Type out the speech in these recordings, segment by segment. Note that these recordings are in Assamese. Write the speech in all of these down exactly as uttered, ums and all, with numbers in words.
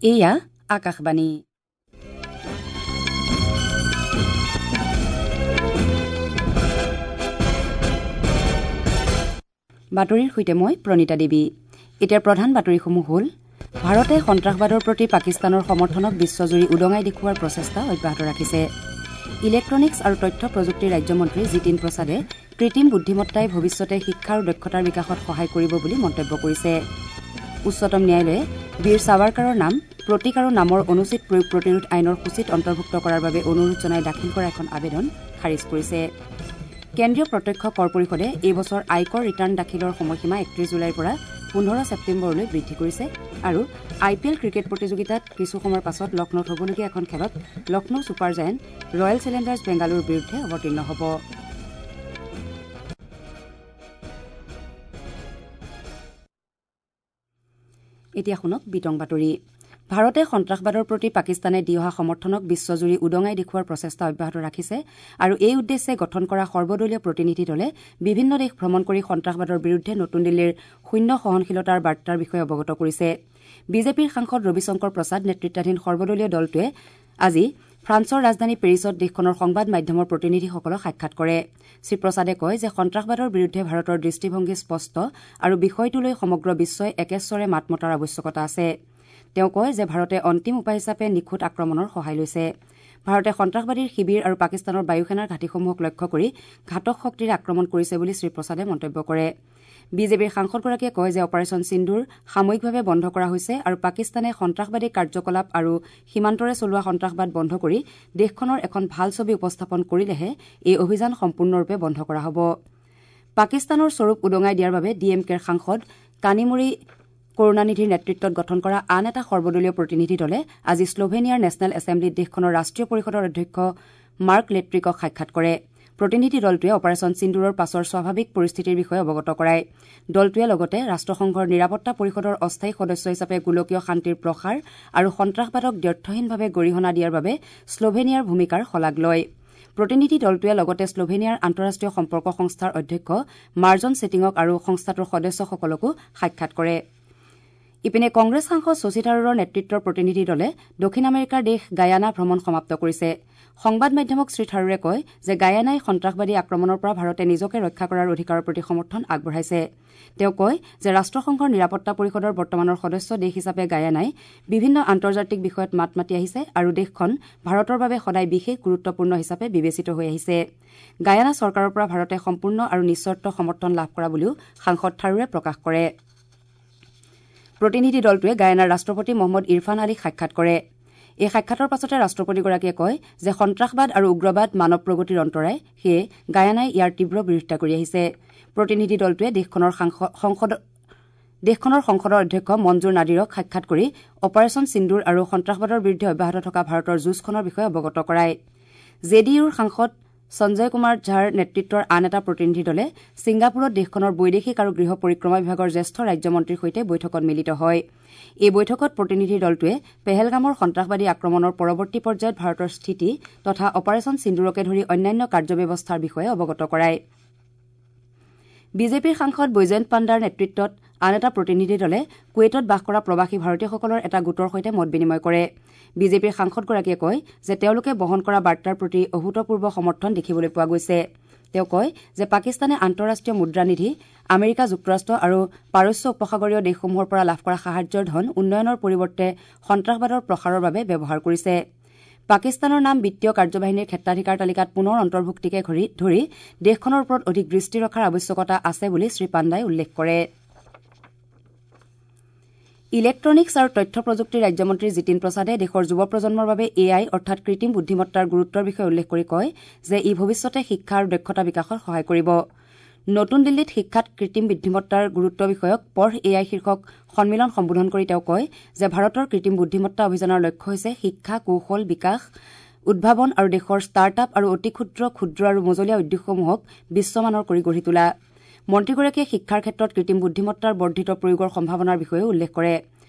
এয়া আকাশবাণী। বাতৰিৰ সৈতে মই প্ৰণীতা দেৱী। এতিয়া প্ৰধান বাতৰিসমূহ হ'ল: ভাৰতে সন্ত্ৰাসবাদৰ প্ৰতি পাকিস্তানৰ সমৰ্থনক বিশ্বজুৰি উদঙাই দেখুওৱাৰ প্ৰচেষ্টা অব্যাহত ৰাখিছে। ইলেক্ট্ৰনিক্স আৰু তথ্য প্ৰযুক্তি ৰাজ্যমন্ত্ৰী জিতিন প্ৰসাদে কৃত্ৰিম বুদ্ধিমত্তাই ভৱিষ্যতে শিক্ষা আৰু দক্ষতাৰ বিকাশত সহায় কৰিব বুলি মন্তব্য কৰিছে। উচ্চতম ন্যায়ালয়ে বীৰ সাৱাৰকাৰৰ নাম প্ৰতীক আৰু নামৰ অনুচিত প্ৰয়োগ প্ৰতিৰোধ আইনৰ সূচীত অন্তৰ্ভুক্ত কৰাৰ বাবে অনুৰোধ জনাই দাখিল কৰা এখন আবেদন খাৰিজ কৰিছে। কেন্দ্ৰীয় প্ৰত্যক্ষ কৰ পৰিষদে এই বছৰ আয়কৰ ৰিটাৰ্ণ দাখিলৰ সময়সীমা একত্ৰিশ জুলাইৰ পৰা পোন্ধৰ ছেপ্টেম্বৰলৈ বৃদ্ধি কৰিছে। আৰু আই পি এল ক্ৰিকেট প্ৰতিযোগিতাত কিছু সময়ৰ পাছত লক্ষ্ণৌত হ'বলগীয়া এখন খেলত Lucknow super giant royal challengers বেংগালুৰুৰ বিৰুদ্ধে অৱতীৰ্ণ হ'ব। এতিয়া শুনক বিতং বাতৰি। ভাৰতে সন্ত্ৰাসবাদৰ প্ৰতি পাকিস্তানে দি অহা সমৰ্থনক বিশ্বজুৰি উদঙাই দেখুওৱাৰ প্ৰচেষ্টা অব্যাহত ৰাখিছে আৰু এই উদ্দেশ্যে গঠন কৰা সৰ্বদলীয় প্ৰতিনিধি দলে বিভিন্ন দেশ ভ্ৰমণ কৰি সন্ত্ৰাসবাদৰ বিৰুদ্ধে নতুন দিল্লীৰ শূন্য সহনশীলতাৰ বাৰ্তাৰ বিষয়ে অৱগত কৰিছে। বিজেপিৰ সাংসদ ৰবিশংকৰ প্ৰসাদ নেতৃত্বাধীন সৰ্বদলীয় দলটোৱে আজি ফ্ৰান্সৰ ৰাজধানী পেৰিছত দেশখনৰ সংবাদ মাধ্যমৰ প্ৰতিনিধিসকলক সাক্ষাৎ কৰে। শ্ৰীপ্ৰসাদে কয় যে সন্ত্ৰাসবাদৰ বিৰুদ্ধে ভাৰতৰ দৃষ্টিভংগী স্পষ্ট আৰু বিষয়টোলৈ সমগ্ৰ বিশ্বই একেস্বৰে মাত মতাৰ আৱশ্যকতা আছে। তেওঁ কয় যে ভাৰতে অন্তিম উপায় হিচাপে নিখুঁত আক্ৰমণৰ সহায় লৈছে। ভাৰতে সন্ত্ৰাসবাদীৰ শিবিৰ আৰু পাকিস্তানৰ বায়ুসেনাৰ ঘাটিসমূহক লক্ষ্য কৰি ঘাতক শক্তিৰে আক্ৰমণ কৰিছে বুলি শ্ৰীপ্ৰসাদে মন্তব্য কৰে। বিজেপিৰ সাংসদগৰাকীয়ে কয় যে অপাৰেচন সিন্দুৰ সাময়িকভাৱে বন্ধ কৰা হৈছে আৰু পাকিস্তানে সন্ত্ৰাসবাদী কাৰ্যকলাপ আৰু সীমান্তৰে চলোৱা সন্ত্ৰাসবাদ বন্ধ কৰি দেশখনৰ এখন ভাল ছবি উপস্থাপন কৰিলেহে এই অভিযান সম্পূৰ্ণৰূপে বন্ধ কৰা হ'ব। পাকিস্তানৰ স্বৰূপ উদঙাই দিয়াৰ বাবে ডি এম কেৰ সাংসদ কানিমুৰি কৰুণানিধিৰ নেতৃত্বত গঠন কৰা আন এটা সৰ্বদলীয় প্ৰতিনিধি দলে আজি শ্লোভেনিয়াৰ নেশ্যনেল এছেম্বলিত দেশখনৰ ৰাষ্ট্ৰীয় পৰিষদৰ অধ্যক্ষ মাৰ্ক লেট্ৰিকক সাক্ষাৎ কৰে। প্ৰতিনিধি দলটোৱে অপাৰেচন সিন্দুৰৰ পাছৰ স্বাভাৱিক পৰিস্থিতিৰ বিষয়ে অৱগত কৰায়। দলটোৱে লগতে ৰাষ্ট্ৰসংঘৰ নিৰাপত্তা পৰিষদৰ অস্থায়ী সদস্য হিচাপে গোলকীয় শান্তিৰ প্ৰসাৰ আৰু সন্ত্ৰাসবাদক দ্ব্যৰ্থহীনভাৱে গৰিহণা দিয়াৰ বাবে শ্লোভেনিয়াৰ ভূমিকাৰ শলাগ লয়। প্ৰতিনিধি দলটোৱে লগতে শ্লোভেনিয়াৰ আন্তঃৰাষ্ট্ৰীয় সম্পৰ্ক সংস্থাৰ অধ্যক্ষ মাৰ্জন ছেটিঙক আৰু সংস্থাটোৰ সদস্যসকলকো সাক্ষাৎ কৰে। ইপিনে কংগ্ৰেছ সাংসদ শশী থাৰুৰৰ নেতৃত্বৰ প্ৰতিনিধি দলে দক্ষিণ আমেৰিকাৰ দেশ গায়ানা ভ্ৰমণ সমাপ্ত কৰিছে। সংবাদ মাধ্যমক শ্ৰী থাৰুৰে কয় যে গায়ানাই সন্ত্ৰাসবাদী আক্ৰমণৰ পৰা ভাৰতে নিজকে ৰক্ষা কৰাৰ অধিকাৰৰ প্ৰতি সমৰ্থন আগবঢ়াইছে। তেওঁ কয় যে ৰাষ্ট্ৰসংঘৰ নিৰাপত্তা পৰিষদৰ বৰ্তমানৰ সদস্য দেশ হিচাপে গায়ানাই বিভিন্ন আন্তৰ্জাতিক বিষয়ত মাত মাতি আহিছে আৰু দেশখন ভাৰতৰ বাবে সদায় বিশেষ গুৰুত্বপূৰ্ণ হিচাপে বিবেচিত হৈ আহিছে। গায়ানা চৰকাৰৰ পৰা ভাৰতে সম্পূৰ্ণ আৰু নিঃচৰ্ত সমৰ্থন লাভ কৰা বুলিও সাংসদ থাৰুৰে প্ৰকাশ কৰে। প্ৰতিনিধি দলটোৱে গায়ানাৰ ৰাষ্ট্ৰপতি মহম্মদ ইৰফান আলীক সাক্ষাৎ কৰে। এই সাক্ষাতৰ পাছতে ৰাষ্ট্ৰপতিগৰাকীয়ে কয় যে সন্ত্ৰাসবাদ আৰু উগ্ৰবাদ মানৱ প্ৰগতিৰ অন্তৰায়, সেয়ে গায়ানাই ইয়াৰ তীব্ৰ বিৰোধিতা কৰি আহিছে। প্ৰতিনিধি দলটোৱে দেশখনৰ সংসদ দেশখনৰ সংসদৰ অধ্যক্ষ মঞ্জুৰ নাদিৰক সাক্ষাৎ কৰি অপাৰেচন সিন্দুৰ আৰু সন্ত্ৰাসবাদৰ বিৰুদ্ধে অব্যাহত থকা ভাৰতৰ যুঁজখনৰ বিষয়ে অৱগত কৰায়। জে ডি ইউৰ সাংসদ সঞ্জয় কুমাৰ ঝাৰ নেতৃত্বৰ আন এটা প্ৰতিনিধি দলে ছিংগাপুৰত দেশখনৰ বৈদেশিক আৰু গৃহ পৰিক্ৰমা বিভাগৰ জ্যেষ্ঠ ৰাজ্যমন্ত্ৰীৰ সৈতে বৈঠকত মিলিত হয়। এই বৈঠকত প্ৰতিনিধি দলটোৱে পেহেলগামৰ সন্ত্ৰাসবাদী আক্ৰমণৰ পৰৱৰ্তী পৰ্যায়ত ভাৰতৰ স্থিতি তথা অপাৰেচন সিন্দুৰকে ধৰি অন্যান্য কাৰ্যব্যৱস্থাৰ বিষয়ে অৱগত কৰায়। বিজেপিৰ সাংসদ বৈজয়ন্ত পাণ্ডাৰ নেতৃত্বত আন এটা প্ৰতিনিধি দলে কুৱেইটত বাস কৰা প্ৰৱাসী ভাৰতীয়সকলৰ এটা গোটৰ সৈতে মত বিনিময় কৰে। বিজেপিৰ সাংসদগৰাকীয়ে কয় যে তেওঁলোকে বহন কৰা বাৰ্তাৰ প্ৰতি অভূতপূৰ্ব সমৰ্থন দেখিবলৈ পোৱা গৈছে। তেওঁ কয় যে পাকিস্তানে আন্তঃৰাষ্ট্ৰীয় মুদ্ৰানিধি, আমেৰিকা যুক্তৰাষ্ট্ৰ আৰু পাৰস্য উপসাগৰীয় দেশসমূহৰ পৰা লাভ কৰা সাহায্যৰ ধন উন্নয়নৰ পৰিৱৰ্তে সন্ত্ৰাসবাদৰ প্ৰসাৰৰ বাবে ব্যৱহাৰ কৰিছে। পাকিস্তানৰ নাম বিত্তীয় কাৰ্যবাহিনীৰ ক্ষেত্ৰাধিকাৰ তালিকাত পুনৰ অন্তৰ্ভুক্তিকে ধৰি দেশখনৰ ওপৰত অধিক দৃষ্টি ৰখাৰ আৱশ্যকতা আছে বুলি শ্ৰীপাণ্ডাই উল্লেখ কৰে। ইলেক্ট্ৰনিক্স আৰু তথ্য প্ৰযুক্তি ৰাজ্যমন্ত্ৰী জিতিন প্ৰসাদে দেশৰ যুৱ প্ৰজন্মৰ বাবে এ I অৰ্থাৎ কৃত্ৰিম বুদ্ধিমত্তাৰ গুৰুত্বৰ বিষয়ে উল্লেখ কৰি কয় যে ই ভৱিষ্যতে শিক্ষা আৰু দক্ষতা বিকাশত সহায় কৰিব। নতুন দিল্লীত শিক্ষাত কৃত্ৰিম বুদ্ধিমত্তাৰ গুৰুত্ব বিষয়ক পঢ় এ I শীৰ্ষক সন্মিলন সম্বোধন কৰি তেওঁ কয় যে ভাৰতৰ কৃত্ৰিম বুদ্ধিমত্তা অভিযানৰ লক্ষ্য হৈছে শিক্ষা, কৌশল বিকাশ, উদ্ভাৱন আৰু দেশৰ ষ্টাৰ্ট আপ আৰু অতি ক্ষুদ্ৰ, ক্ষুদ্ৰ আৰু মজলীয়া উদ্যোগসমূহক বিশ্বমানৰ কৰি গঢ়ি তোলা। মন্ত্ৰীগৰাকীয়ে শিক্ষাৰ ক্ষেত্ৰত কৃত্ৰিম বুদ্ধিমত্তাৰ বৰ্ধিত প্ৰয়োগৰ সম্ভাৱনাৰ বিষয়েও উল্লেখ কৰে।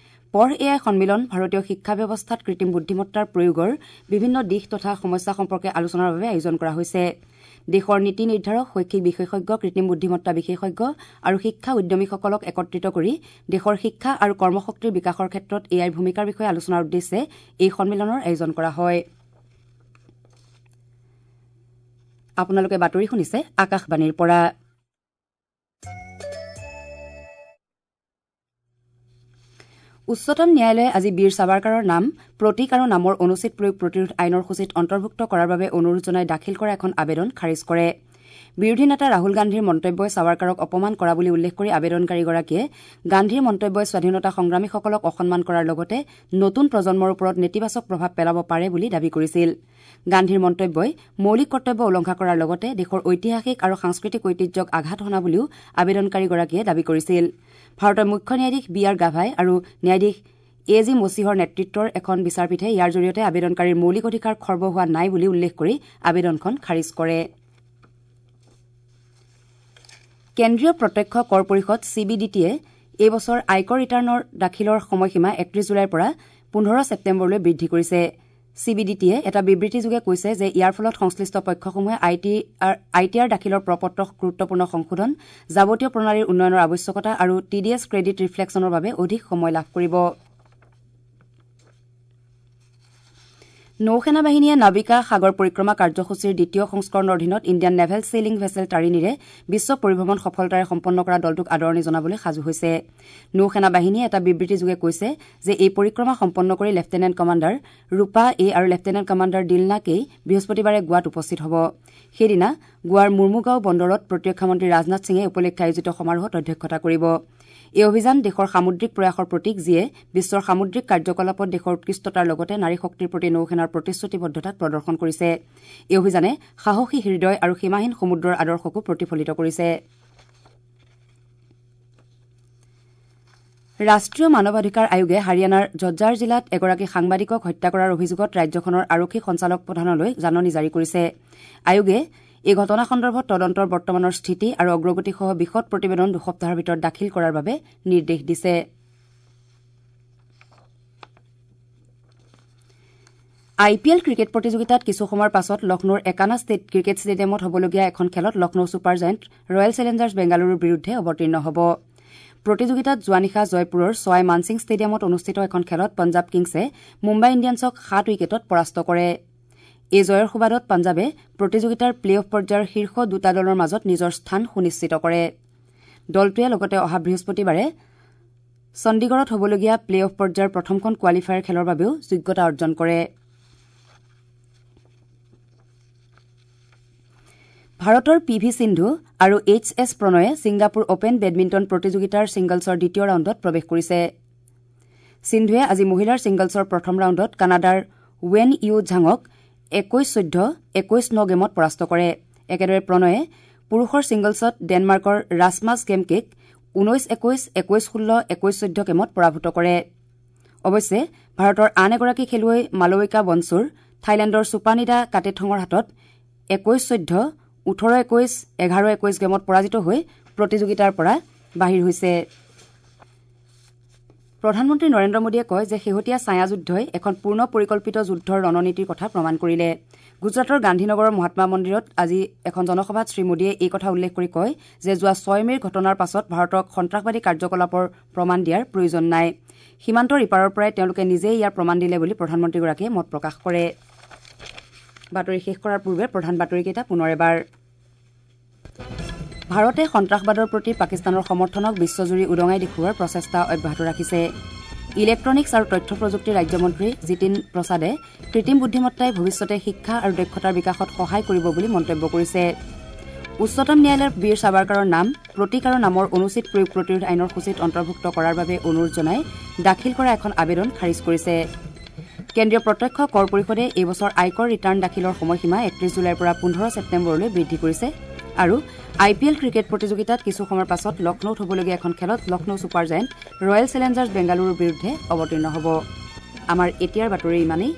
পঢ় এ I সন্মিলন ভাৰতীয় শিক্ষা ব্যৱস্থাত কৃত্ৰিম বুদ্ধিমত্তাৰ প্ৰয়োগৰ বিভিন্ন দিশ তথা সমস্যা সম্পৰ্কে আলোচনাৰ বাবে আয়োজন কৰা হৈছে। দেশৰ নীতি নিৰ্ধাৰক, শৈক্ষিক বিশেষজ্ঞ, কৃত্ৰিম বুদ্ধিমত্তা বিশেষজ্ঞ আৰু শিক্ষা উদ্যমীসকলক একত্ৰিত কৰি দেশৰ শিক্ষা আৰু কৰ্মশক্তিৰ বিকাশৰ ক্ষেত্ৰত এ আইৰ ভূমিকাৰ বিষয়ে আলোচনাৰ উদ্দেশ্যে এই সন্মিলনৰ আয়োজন কৰা হয়। আপোনালোকে বাতৰি শুনিছে আকাশবাণীৰ পৰা। উচ্চতম ন্যায়ালয়ে আজি বীৰ সাৱাৰকাৰৰ নাম প্ৰতীক আৰু নামৰ অনুচিত প্ৰয়োগ প্ৰতিৰোধ আইনৰ সূচীত অন্তৰ্ভুক্ত কৰাৰ বাবে অনুৰোধ জনাই দাখিল কৰা এখন আবেদন খাৰিজ কৰে। বিৰোধী নেতা ৰাহুল গান্ধীৰ মন্তব্যই সাৱাৰকাৰক অপমান কৰা বুলি উল্লেখ কৰি আবেদনকাৰীগৰাকীয়ে গান্ধীৰ মন্তব্যই স্বাধীনতা সংগ্ৰামীসকলক অসন্মান কৰাৰ লগতে নতুন প্ৰজন্মৰ ওপৰত নেতিবাচক প্ৰভাৱ পেলাব পাৰে বুলি দাবী কৰিছিল। গান্ধীৰ মন্তব্যই মৌলিক কৰ্তব্য উলংঘা কৰাৰ লগতে দেশৰ ঐতিহাসিক আৰু সাংস্কৃতিক ঐতিহ্যক আঘাত হনা বুলিও আবেদনকাৰীগৰাকীয়ে দাবী কৰিছিল। ভাৰতৰ মুখ্য ন্যায়াধীশ বি আৰ গাভাই আৰু ন্যায়াধীশ এ জি মছিহৰ নেতৃত্বৰ এখন বিচাৰপীঠে ইয়াৰ জৰিয়তে আবেদনকাৰীৰ মৌলিক অধিকাৰ খৰ্ব হোৱা নাই বুলি উল্লেখ কৰি আবেদনখন খাৰিজ কৰে। কেন্দ্ৰীয় প্ৰত্যক্ষ কৰ পৰিষদ চি বি ডি টিয়ে এই বছৰ আয়কৰ ৰিটাৰ্ণৰ দাখিলৰ সময়সীমা একত্ৰিশ জুলাইৰ পৰা পোন্ধৰ ছেপ্টেম্বৰলৈ বৃদ্ধি কৰিছে। চি বি ডি টিয়ে এটা বিবৃতিযোগে কৈছে যে ইয়াৰ ফলত সংশ্লিষ্ট পক্ষসমূহে I T R I T R দাখিলৰ প্ৰপত্ৰ গুৰুত্বপূৰ্ণ সংশোধন, যাৱতীয় প্ৰণালীৰ উন্নয়নৰ আৱশ্যকতা আৰু টি ডি এছ ক্ৰেডিট ৰিফ্লেকশ্যনৰ বাবে অধিক সময় লাভ কৰিব। নৌসেনা বাহিনীয়ে নাৱিকা সাগৰ পৰিক্ৰমা কাৰ্যসূচীৰ দ্বিতীয় সংস্কৰণৰ অধীনত ইণ্ডিয়ান নেভেল ছেইলিং ভেছেল তাৰিণীৰে বিশ্ব পৰিভ্ৰমণ সফলতাৰে সম্পন্ন কৰা দলটোক আদৰণি জনাবলৈ সাজু হৈছে। নৌসেনা বাহিনীয়ে এটা বিবৃতিযোগে কৈছে যে এই পৰিক্ৰমা সম্পন্ন কৰি লেফটেনেণ্ট কমাণ্ডাৰ ৰূপা এ আৰু লেফটেনেণ্ট কমাণ্ডাৰ দিলনা কেই বৃহস্পতিবাৰে গোৱাত উপস্থিত হ'ব। সেইদিনা গোৱাৰ মুৰ্মুগাঁও বন্দৰত প্ৰতিৰক্ষা মন্ত্ৰী ৰাজনাথ সিঙে উপলক্ষে আয়োজিত সমাৰোহত অধ্যক্ষতা কৰিব। এই অভিযান দেশৰ সামুদ্ৰিক প্ৰয়াসৰ প্ৰতীক, যিয়ে বিশ্বৰ সামুদ্ৰিক কাৰ্যকলাপত দেশৰ উৎকৃষ্টতাৰ লগতে নাৰী শক্তিৰ প্ৰতি নৌসেনাৰ প্ৰতিশ্ৰুতিবদ্ধতাক প্ৰদৰ্শন কৰিছে। এই অভিযানে সাহসী হৃদয় আৰু সীমাহীন সমুদ্ৰৰ আদৰ্শকো প্ৰতিফলিত কৰিছে। ৰাষ্ট্ৰীয় মানৱাধিকাৰ আয়োগে হাৰিয়ানাৰ ঝজ্জাৰ জিলাত এগৰাকী সাংবাদিকক হত্যা কৰাৰ অভিযোগত ৰাজ্যখনৰ আৰক্ষী সঞ্চালক প্ৰধানলৈ জাননী জাৰি কৰিছে। আয়োগে এই ঘটনা সন্দৰ্ভত তদন্তৰ বৰ্তমানৰ স্থিতি আৰু অগ্ৰগতিসহ বিশদ প্ৰতিবেদন দুসপ্তাহৰ ভিতৰত দাখিল কৰাৰ বাবে নিৰ্দেশ দিছে। আই পি এল ক্ৰিকেট প্ৰতিযোগিতাত কিছু সময়ৰ পাছত লক্ষ্ণৌৰ একানা ষ্টেট ক্ৰিকেট ষ্টেডিয়ামত হ'বলগীয়া এখন খেলত Lucknow super giant royal Challengers বেংগালুৰুৰ বিৰুদ্ধে অৱতীৰ্ণ হ'ব। প্ৰতিযোগিতাত যোৱা নিশা জয়পুৰৰ ছৱাই মানসিং ষ্টেডিয়ামত অনুষ্ঠিত এখন খেলত পঞ্জাৱ কিংছে মুম্বাই ইণ্ডিয়ানছক সাত উইকেটত পৰাস্ত কৰে। এই জয়ৰ সুবাদত পঞ্জাৱে প্ৰতিযোগিতাৰ প্লে অফ পৰ্যায়ৰ শীৰ্ষ দুটা দলৰ মাজত নিজৰ স্থান সুনিশ্চিত কৰে। দলটোৱে লগতে অহা বৃহস্পতিবাৰে চণ্ডীগড়ত হ'বলগীয়া প্লে অফ পৰ্যায়ৰ প্ৰথমখন কোৱালিফায়াৰ খেলৰ বাবেও যোগ্যতা অৰ্জন কৰে। ভাৰতৰ পি ভি সিন্ধু আৰু এইচ এছ প্ৰণয়ে ছিংগাপুৰ অপেন বেডমিণ্টন প্ৰতিযোগিতাৰ ছিংগলছৰ দ্বিতীয় ৰাউণ্ডত প্ৰৱেশ কৰিছে। সিন্ধুৱে আজি মহিলাৰ ছিংগলছৰ প্ৰথম ৰাউণ্ডত কানাডাৰ ৱেন ইউ ঝাঙক একৈশ চৈধ্য, একৈশ ন গেমত পৰাস্ত কৰে। একেদৰে প্ৰণয়ে পুৰুষৰ ছিংগলছত ডেনমাৰ্কৰ ৰাছমাছ গেমকেক ঊনৈশ একৈশ, একৈশ ষোল্ল, একৈশ চৈধ্য গেমত পৰাভূত কৰে। অৱশ্যে ভাৰতৰ আন এগৰাকী খেলুৱৈ মালৱিকা বনছুৰ থাইলেণ্ডৰ চুপানিদা কাটেথঙৰ হাতত একৈশ চৈধ্য, ওঠৰ একৈশ, এঘাৰ একৈশ গেমত পৰাজিত হৈ প্ৰতিযোগিতাৰ পৰা বাহিৰ হৈছে। প্ৰধানমন্ত্ৰী নৰেন্দ্ৰ মোদীয়ে কয় যে শেহতীয়া ছায়াযুদ্ধই এখন পূৰ্ণ পৰিকল্পিত যুদ্ধৰ ৰণনীতিৰ কথা প্ৰমাণ কৰিলে। গুজৰাটৰ গান্ধীনগৰৰ মহাত্মা মন্দিৰত আজি এখন জনসভাত শ্ৰীমোদীয়ে এই কথা উল্লেখ কৰি কয় যে যোৱা ছয় মে'ৰ ঘটনাৰ পাছত ভাৰতক সন্ত্ৰাসবাদী কাৰ্যকলাপৰ প্ৰমাণ দিয়াৰ প্ৰয়োজন নাই। সীমান্তৰ ইপাৰৰ পৰাই তেওঁলোকে নিজেই ইয়াৰ প্ৰমাণ দিলে বুলি প্ৰধানমন্ত্ৰীগৰাকীয়ে মত প্ৰকাশ কৰে। বাতৰি শেষ কৰাৰ পূৰ্বে প্ৰধান বাতৰিকেইটা পুনৰ এবাৰ। ভাৰতে সন্ত্ৰাসবাদৰ প্ৰতি পাকিস্তানৰ সমৰ্থনক বিশ্বজুৰি উদঙাই দেখুওৱাৰ প্ৰচেষ্টা অব্যাহত ৰাখিছে। ইলেক্ট্ৰনিক্স আৰু তথ্য প্ৰযুক্তি ৰাজ্যমন্ত্ৰী জিতিন প্ৰসাদে কৃত্ৰিম বুদ্ধিমত্তাই ভৱিষ্যতে শিক্ষা আৰু দক্ষতাৰ বিকাশত সহায় কৰিব বুলি মন্তব্য কৰিছে। উচ্চতম ন্যায়ালয়ৰ বীৰ সাৱাৰকাৰৰ নাম প্ৰতীক আৰু নামৰ অনুচিত প্ৰয়োগ প্ৰতিৰোধ আইনৰ সূচীত অন্তৰ্ভুক্ত কৰাৰ বাবে অনুৰোধ জনাই দাখিল কৰা এখন আবেদন খাৰিজ কৰিছে। কেন্দ্ৰীয় প্ৰত্যক্ষ কৰ পৰিষদে এই বছৰ আয়কৰ ৰিটাৰ্ণ দাখিলৰ সময়সীমা একত্ৰিশ জুলাইৰ পৰা পোন্ধৰ ছেপ্টেম্বৰলৈ বৃদ্ধি কৰিছে। আৰু আই পি এল ক্ৰিকেট প্ৰতিযোগিতাত কিছু সময়ৰ পাছত লক্ষ্ণৌত হ'বলগীয়া এখন খেলত Lucknow super giant royal Challengers বেংগালুৰুৰ বিৰুদ্ধে অৱতীৰ্ণ হ'ব। আমাৰ এতিয়াৰ বাতৰি ইমানেই।